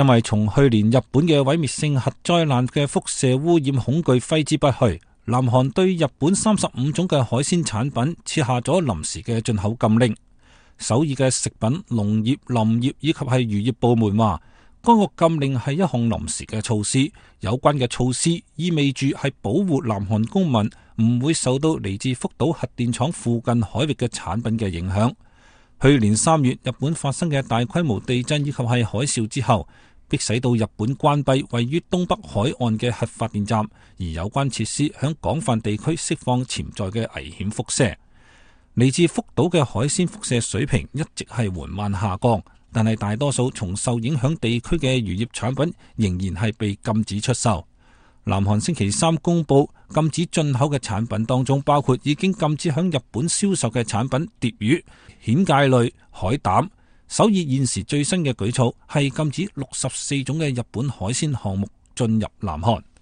因為從去年日本嘅毀滅性核災難嘅輻射污染恐懼揮之不去，南韓對日本35種嘅海鮮產品設下咗臨時嘅進口禁令。首爾嘅食品、農業、林業以及係漁業部門話，該個禁令係一項臨時嘅措施，有關嘅措施意味住係保護南韓公民唔會受到嚟自福島核電廠附近海域嘅產品嘅影響。去年3月日本發生嘅大規模地震以及係海嘯之後，迫使到日本關閉位於東北海岸嘅核發電站，而有關設施響廣泛地區釋放潛在嘅危險輻射。嚟自福島嘅海鮮輻射水平一直係緩慢下降，但係大多數從受影響地區嘅漁業產品仍然係被禁止出售。南韓星期3公布禁止進口嘅產品當中，包括已經禁止響日本銷售嘅產品鯽魚、蜆介類、海膽。首爾現時最新嘅舉措係禁止64種嘅日本海鮮項目進入南韓。